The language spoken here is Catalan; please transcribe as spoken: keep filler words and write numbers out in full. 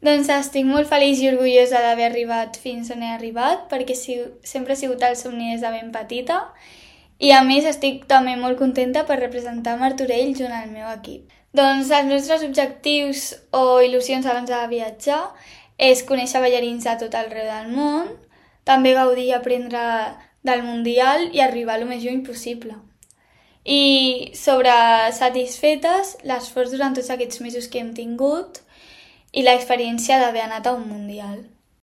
Doncs estic molt feliç i orgullosa d'haver arribat fins on he arribat, perquè si, sempre ha sigut el somni des de ben petita, i a més estic també molt contenta per representar Martorell junt al meu equip. Doncs els nostres objectius o il·lusions abans de viatjar és conèixer ballarins de tot arreu del món, també gaudir i aprendre del Mundial i arribar el més lluny possible. I sobre satisfetes, l'esforç durant tots aquests mesos que hem tingut i l'experiència d'haver anat a un Mundial.